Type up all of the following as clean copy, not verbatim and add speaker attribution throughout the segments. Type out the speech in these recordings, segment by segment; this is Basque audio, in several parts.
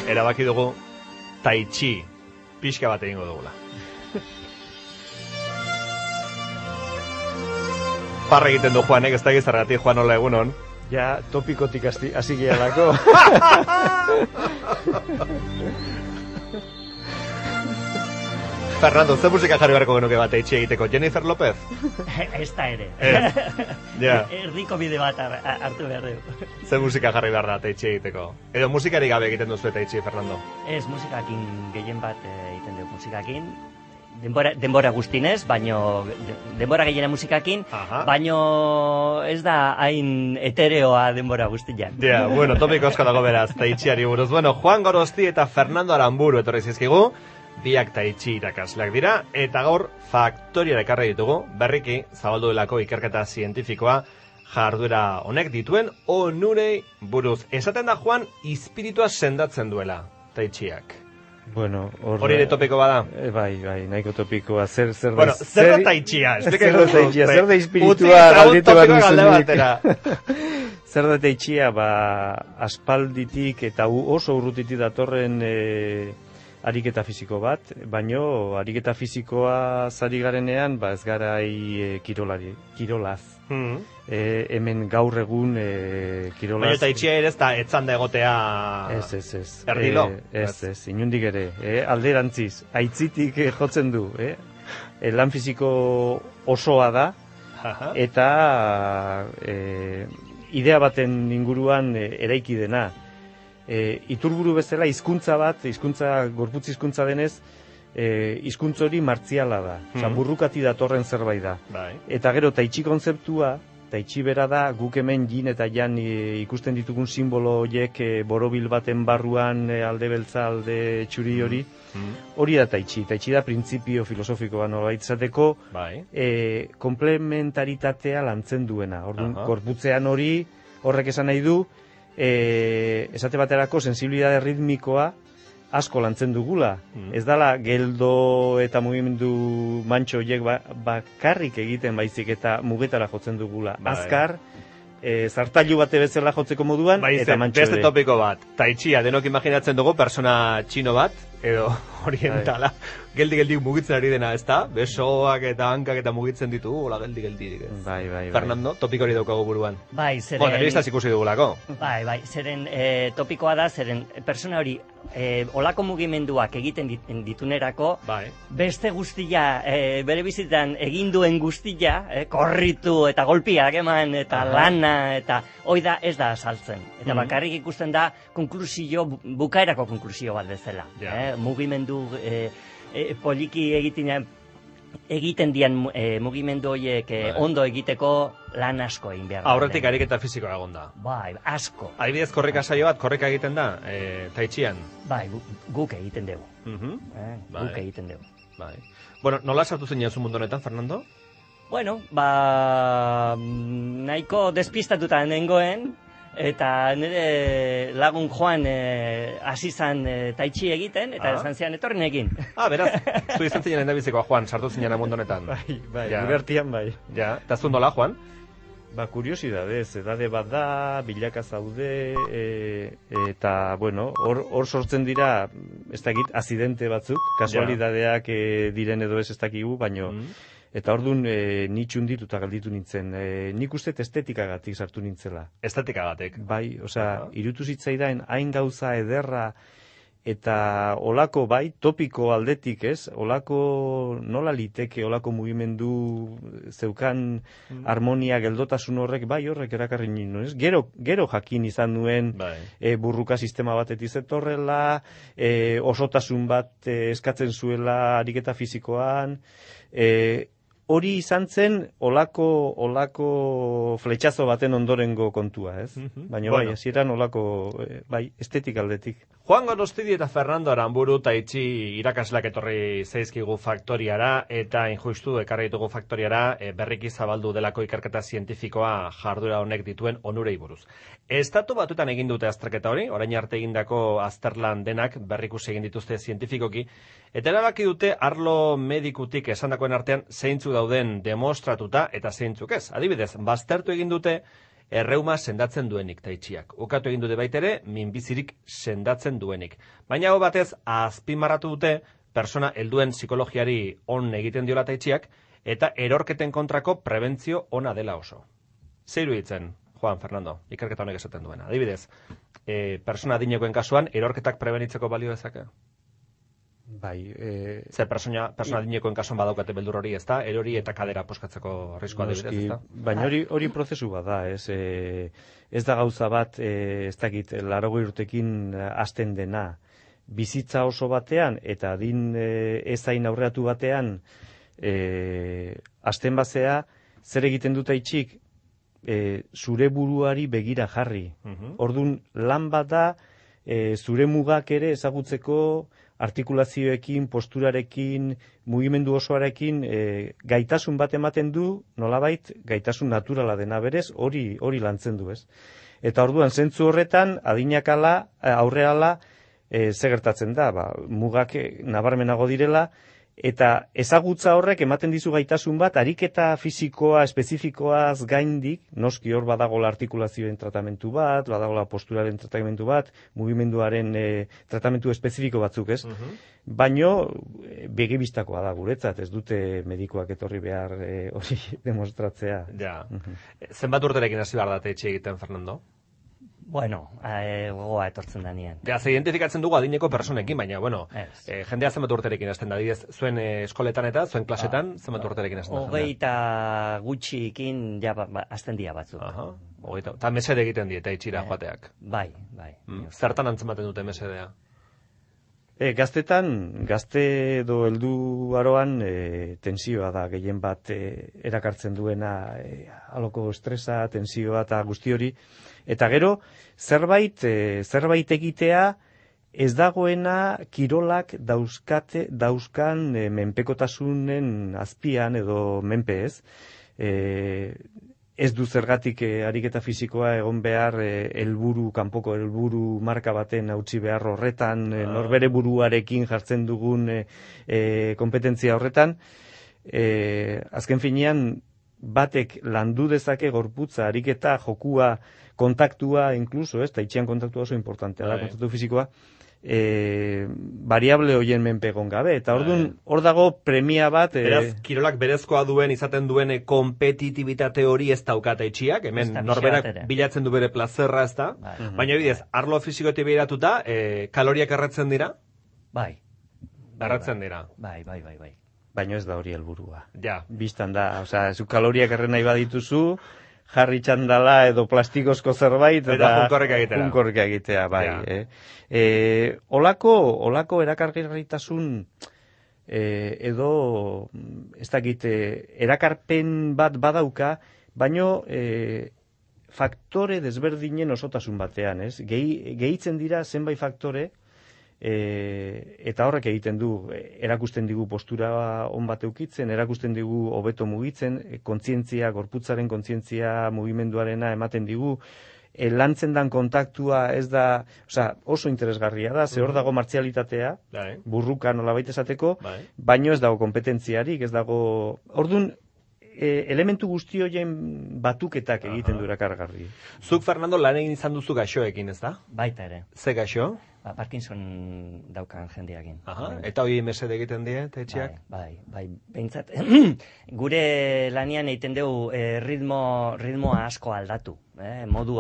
Speaker 1: erabaki dugu tai chi pixka bat egingo dugula. Parra egiten du Juanek, ez da gizargatik, Juan, hola egunon.
Speaker 2: Ja, topikotik hasi gehalako.
Speaker 1: Fernando, ze musika jarri beharko genuke bat eitxe egiteko? Jennifer Lopez?
Speaker 3: Ez da ere.
Speaker 1: Ja.
Speaker 3: Erdiko bide bat hartu behar dugu.
Speaker 1: Ze musika jarri behar da eitxe egiteko? Edo musikari gabe egiten duzu eta eitxe, Fernando?
Speaker 3: Ez, musikakin gehien bat egiten dugu musikakin. Denbora guztinez, baino denbora gehiena musikakin, baino ez da hain etereoa denbora guztian.
Speaker 1: Ja, bueno, topiko asko dago beraz, taitxiari buruz. Bueno, Juan Gorosti eta Fernando Aramburu etorri zizkigu, biak taitxi irakasleak dira, eta gaur faktoriara ekarri ditugu, berriki zabaldu delako ikerketa zientifikoa jarduera honek dituen onurei buruz. Esaten da, Juan, espiritua sendatzen duela taitxiak.
Speaker 2: Bueno,
Speaker 1: hori ere topiko bada?
Speaker 2: Bai, nahiko topikoa. Zer
Speaker 1: da taitxia?
Speaker 2: Zer da espiritua galditu bat duzunik. Zer da taitxia, aspalditik eta oso urrutitik datorren ariketa fisiko bat, baino ariketa fisikoa zari garenean, ez garai kirolaz. Hemen gaur egun kirolaz...
Speaker 1: Baina taitxia ere ez da etzanda egotea...
Speaker 2: Ez.
Speaker 1: Erdilo?
Speaker 2: Ez, inundik ere. Alderantziz, aitzitik jotzen du. Lan fisiko osoa da, eta idea baten inguruan eraiki dena. Iturburu bezala gorputz hizkuntza denez, hizkuntz hori martziala da. Burrukati datorren zerbait da. Eta gero taitxi kontzeptua, taitxi bera da, guk hemen jin eta jan ikusten ditugun simbolo horiek borobil baten barruan alde beltza, alde txuri hori. Hori da taitxi. Taitxi da printzipio filosofikoa nolabait izateko komplementaritatea lantzen duena. Orduan, gorputzean horrek esan nahi du, esate baterako sensibilidade ritmikoa asko lantzen dugula. Ez dala geldo eta mugimendu mantxo horiek bakarrik egiten baizik eta mugetara jotzen dugula. Azkar, zartailu bate bezala jotzeko moduan, eta mantxo ere.
Speaker 1: Beste topiko bat, taitxia denok imaginatzen dugu persona txino bat, edo orientala, geldi mugitzen ari dena, ez da? Besoak eta hankak eta mugitzen ditu, hola geldi.
Speaker 2: Bai.
Speaker 1: Fernando, topiko hori daukagu buruan.
Speaker 3: Bai, zeren...
Speaker 1: Telebistaz ikusi dugulako.
Speaker 3: Bai, zeren topikoa da, zeren persona hori olako mugimenduak egiten ditunerako, beste guztia, bere bizitan egin duen guztia, korritu eta golpiak eman, eta lana, eta hoi da ez da asaltzen. Eta bakarrik ikusten da bukaerako konklusio bat bezala. Mugimendu poliki egiten dian mugimendu horiek ondo egiteko lan asko egin behar.
Speaker 1: Aurretik ariketa fisikoa egon da.
Speaker 3: Bai, asko.
Speaker 1: Adibidez korrika saio bat, korrika egiten da, taitxian?
Speaker 3: Bai, guk egiten dugu. Guk egiten dugu.
Speaker 1: Bueno, nola sartu zen zu mundu honetan, Fernando?
Speaker 3: Bueno, nahiko despistatuta nengoen, eta nire lagun Juan hasi zan taitxi egiten, eta esan zian etorren egin.
Speaker 1: Beraz, zu izan zinen endabizikoa, Juan, sartu zinen mundu honetan.
Speaker 2: Bai, libertian bai.
Speaker 1: Ja, eta zu nola, Juan?
Speaker 2: Kuriosidadez, edade bat da, bilaka zaude, eta, bueno, hor sortzen dira, ez dakit, azidente batzuk, kasualidadeak diren edo ez dakigu, baino, eta orduan ni txundituta galditu nintzen. Nik uste estetikagatik sartu nintzela.
Speaker 1: Estetikagatik?
Speaker 2: Bai, irutu zitzaidan hain gauza ederra eta olako topiko aldetik, ez? Olako nola liteke, olako mugimendu zeukan harmonia geldotasun horrek, horrek erakarri nino, ez? Gero jakin izan nuen burruka sistema batetik zetorrela, osotasun bat eskatzen zuela ariketa fisikoan, hori izan zen olako fletxazo baten ondorengo kontua, ez? Baina hasieran olako estetik aldetik.
Speaker 1: Juan Gorostidi eta Fernando Aramburu taitxi irakasleak etorri zaizkigu faktoriara, eta injustu ekarri ditugu faktoriara berriki zabaldu delako ikerketa zientifikoa jarduera honek dituen onurei buruz. Estatu Batuetan egin dute azterketa hori, orain arte egindako azterlan denak berrikusi egin dituzte zientifikoki, eta erabaki dute arlo medikutik esandakoen artean zeintzu dauden demostratuta eta zeintzuk ez. Adibidez, baztertu egin dute erreuma sendatzen duenik taitxiak. Ukatu egin dute baitere, minbizirik sendatzen duenik. Baina hau batez, azpimarratu dute, persona helduen psikologiari on egiten diola taitxiak, eta erorketen kontrako prebentzio ona dela oso. Zeiru hitzen, Juan Fernando, ikerketa honek esaten duena. Adibidez, persona adinekoen kasuan, erorketak prebenitzeko balio dezake?
Speaker 2: Bai,
Speaker 1: Zer persona adinekoen kasuan badaukate beldur hori, ez da? Erori eta kadera poskatzeko arriskoa adibidez, ez da?
Speaker 2: Baina hori prozesu bat da, ez da gauza bat, ez dakit, 80 urtekin hasten dena. Bizitza oso batean, eta adin ezain aurreatu batean, hasten bazea, zer egiten dut aitxik, zure buruari begira jarri. Ordun lan bat da, zure mugak ere ezagutzeko artikulazioekin, posturarekin, mugimendu osoarekin gaitasun bat ematen du, nolabait gaitasun naturala dena berez, hori lantzen du, ez? Eta orduan zentzu horretan, adinakala, aurreala, ze gertatzen da, mugak nabarmenago direla, eta ezagutza horrek ematen dizu gaitasun bat, ariketa fisikoa, espezifikoaz gaindik, noski hor badagola artikulazioen tratamentu bat, badagola posturaren tratamentu bat, mugimenduaren tratamentu espezifiko batzuk, ez? Baino, begibistakoa da guretzat, ez dute medikoak etorri behar hori demostratzea.
Speaker 1: Ja. Zenbat urterekin hasi behar date etxe egiten, Fernando?
Speaker 3: Bueno, gogoa etortzen da nien.
Speaker 1: Ja, ze identifikatzen dugu adineko personekin, baina, bueno, jendea zenbat urterekin hasten da, didez, zuen eskoletan eta, zuen klasetan, zenbat urterekin hasten da?
Speaker 3: 20 gutxikin, ja, hasten dia batzuk.
Speaker 1: Eta mesede egiten dieta itxira joateak.
Speaker 3: Bai.
Speaker 1: Zertan antzematen dute mesedea?
Speaker 2: Gazte edo heldu aroan tensioa da gehien bat erakartzen duena, aloko estresa, tensioa eta guzti hori. Eta gero, zerbait egitea ez dagoena kirolak dauzkan menpekotasunen azpian edo menpe ez. Ez du zergatik ariketa fisikoa egon behar kanpoko helburu marka baten hautsi behar horretan, norbere buruarekin jartzen dugun kompetentzia horretan. Azken finean, batek landu dezake gorputza, ariketa, jokua, kontaktua, inkluso, eta itxian kontaktua oso importantea da, kontaktu fisikoa, variable hoien menpe egon gabe. Eta orduan, hor dago premia bat...
Speaker 1: Beraz, kirolak berezkoa duen, izaten duen kompetitibitate hori ez daukata itxiak, hemen norberak bilatzen du bere plazerra, ez da? Baina bidez, arlo fisikoetik behiratuta, kaloriak erratzen dira?
Speaker 3: Bai.
Speaker 1: Erratzen dira?
Speaker 3: Bai.
Speaker 2: Baina ez da hori helburua.
Speaker 1: Ja.
Speaker 2: Bistan da, zu kaloriak erren nahi badituzu, jarri txandala edo plastikozko zerbait,
Speaker 1: eta junkorreka
Speaker 2: egitea, bai. Ja. Olako erakargarritasun edo, ez dakit, erakarpen bat badauka, baino faktore desberdinen osotasun batean, ez? Gehitzen dira zenbait faktore, eta horrek egiten du, erakusten digu postura on bat eukitzen, erakusten digu hobeto mugitzen, kontzientzia, gorputzaren kontzientzia mugimenduarena ematen digu, lantzen dan kontaktua ez da, oso interesgarria da, ze hor dago martzialitatea, burruka nolabait esateko, baino ez dago kompetentziarik, ez dago, ordun elementu guzti horien batuketak egiten du erakargarri.
Speaker 1: Zuk, Fernando, lan egin izan duzu gaixoekin, ez da?
Speaker 3: Baita ere.
Speaker 1: Ze gaixo?
Speaker 3: Parkinson daukan jendeakin.
Speaker 1: Eta hori mesede egiten die, etxeak?
Speaker 3: Bai. Behintzat, gure lanian egiten dugu ritmoa asko aldatu. Modu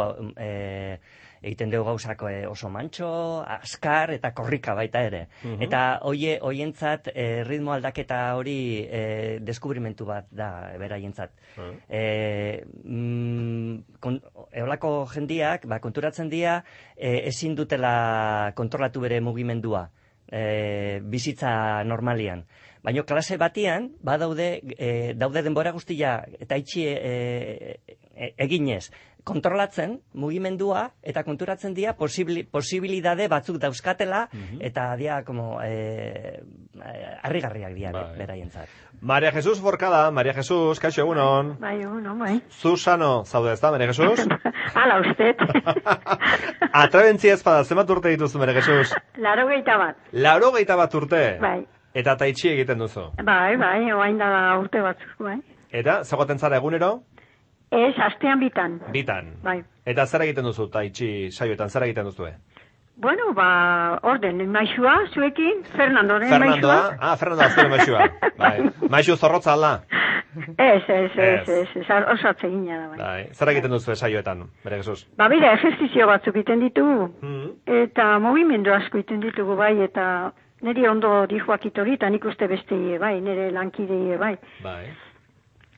Speaker 3: egiten dugu gauzak oso mantxo, askar eta korrika baita ere. Eta hoientzat ritmo aldaketa hori deskubrimentu bat da beraientzat. Eolako jendiak konturatzen dira ezin dutela kontrolatu bere mugimendua bizitza normalian. Baina klase batian, daude denbora guztia eta itxi eginez, kontrolatzen mugimendua eta konturatzen dira posibilidade batzuk dauzkatela eta dia como harrigarriak dira beraientzat.
Speaker 1: Maria Jesús Forcada, Maria Jesús, kaixo egunon.
Speaker 4: Bai, egunon, bai.
Speaker 1: Zuzano, zaude ez da, Maria Jesús?
Speaker 4: Hala, usted.
Speaker 1: Atrebentzia ezpada, zenbat urte dituzu, Maria Jesús?
Speaker 4: 81.
Speaker 1: 81 urte?
Speaker 4: Bai.
Speaker 1: Eta taitxi egiten duzu?
Speaker 4: Bai, oain da urte batzuk, bai.
Speaker 1: Eta, zegoten zara egunero?
Speaker 4: Ez, astean bitan.
Speaker 1: Bitan.
Speaker 4: Bai.
Speaker 1: Eta zer egiten duzu, tai chi saioetan, zer egiten duzu?
Speaker 4: Bueno, orden, maixua, zuekin, Fernandoren
Speaker 1: Fernandoa?
Speaker 4: maixua.
Speaker 1: Fernandoa zure maixua. Bai. Maixu zorrotza alda?
Speaker 4: Ez, oso atsegina da,
Speaker 1: bai. Zer egiten duzu saioetan, bere Jesus?
Speaker 4: Bera, ejertzizio batzuk egiten ditugu, eta movimendu asko egiten ditugu, bai, eta niri ondo dijoak itori, eta nik uste beste, bai, nire lankide, bai.
Speaker 1: Bai.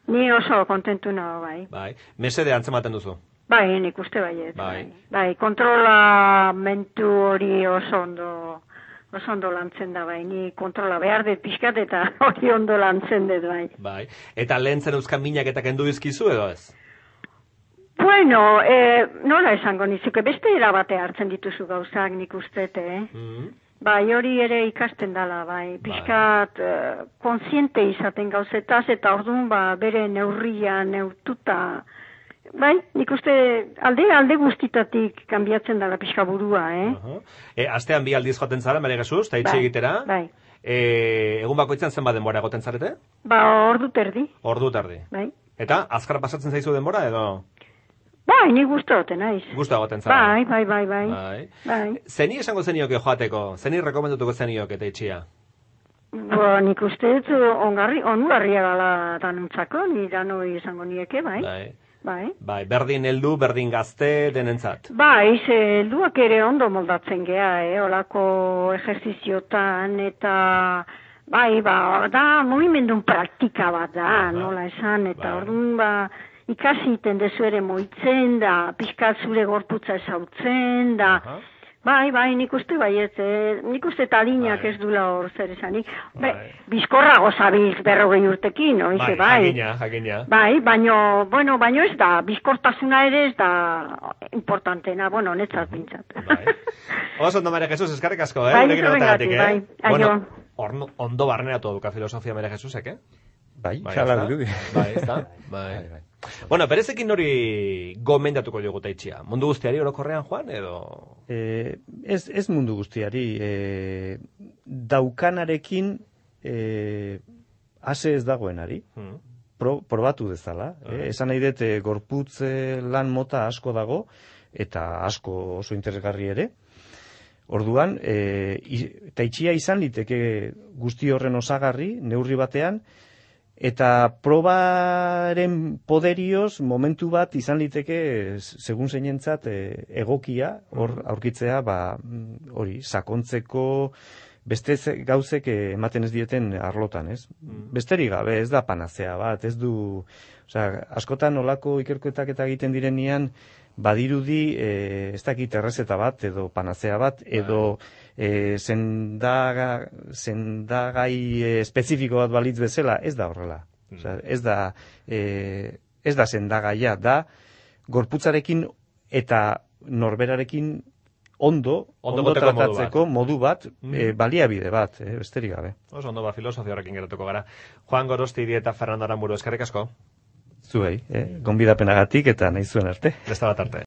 Speaker 4: Ni oso kontentu nago, bai.
Speaker 1: Bai. Mesede antzematen duzu?
Speaker 4: Bai, nik uste baiet.
Speaker 1: Bai.
Speaker 4: Bai, kontrolamentu hori oso ondo lantzen da, bai. Ni kontrola behar dut pixkat eta hori ondo lantzen dut, bai.
Speaker 1: Bai. Eta lehen zen euskan minak eta kendu dizkizu edo ez?
Speaker 4: Bueno, nola esango nizuke, beste erabate hartzen dituzu gauzak nik uste, Bai, hori ere ikasten dala, bai. Pixkat kontziente izaten gauzetaz eta orduan bere neurria neurtuta. Bai, nik uste alde guztitatik kanbiatzen dala pixka burua,
Speaker 1: Astean bi aldiz joaten zara, Maria Jesus, eta itxe egitera.
Speaker 4: Bai.
Speaker 1: Egun bakoitzan zenbat denbora egoten zarete?
Speaker 4: Ordu terdi.
Speaker 1: Ordu terdi.
Speaker 4: Bai.
Speaker 1: Eta, azkar pasatzen zaizu denbora edo?
Speaker 4: Bai, nik gustu egoten naiz.
Speaker 1: Gustu egoten zara?
Speaker 4: Bai.
Speaker 1: Zeni esango zenioke joateko? Zeni rekomendatuko zenioke eta itxia?
Speaker 4: Nik uste ongarria gala danuntzako, ni danoi esango nieke, bai.
Speaker 1: Bai, berdin heldu, berdin gazte denentzat.
Speaker 4: Bai, helduak ere ondo moldatzen gea, olako ejerziziotan, eta bai, da movimendun praktika bat da, nola esan, eta orduan ikasi iten dezu ere moitzen da, pixkat zure gorputza ezautzen da. Bai, nik uste baiet, nik uste talinak ez dula hor zer esanik. Bizkorrago zabiltz 40 urtekin, oize, bai.
Speaker 1: Jakina.
Speaker 4: Bai, baino ez da, bizkortasuna ere ez da importantena, netzat bintzat.
Speaker 1: Oso ondo, Maria Jesus, eskarrik asko,
Speaker 4: Bai, zerrengatik, bai.
Speaker 1: Bueno, ondo barneratu eduka filosofia Maria Jesusek,
Speaker 2: Bai, jala dirudi.
Speaker 1: Bai, ez da? Bai. Bueno, berezekin hori gomendatuko diogu taitxia. Mundu guztiari orokorrean, Juan, edo?
Speaker 2: Ez mundu guztiari. Daukanarekin ase ez dagoenari. Probatu dezala. Esan nahi dut, gorputz lan mota asko dago, eta asko oso interesgarri ere. Orduan, taitxia izan liteke guzti horren osagarri, neurri batean, eta probaren poderioz momentu bat izan liteke segun zeinentzat egokia hor aurkitzea hori sakontzeko beste gauzek ematen ez dieten arlotan, ez? Besterik gabe, ez da panazea bat, ez du, askotan olako ikerketak eta egiten direnean badirudi ez dakit errezeta bat edo panazea bat edo sendagai espezifiko bat balitz bezala, ez da horrela. Ez da sendagaia, da gorputzarekin eta norberarekin ondo tratatzeko modu bat, baliabide bat, besterik gabe.
Speaker 1: Oso ondo filosofia horrekin geratuko gara. Juan Gorosti eta Fernando Aramburu, eskerrik asko.
Speaker 2: Zuei, gonbidapenagatik eta nahi zuen arte.
Speaker 1: Beste bat arte.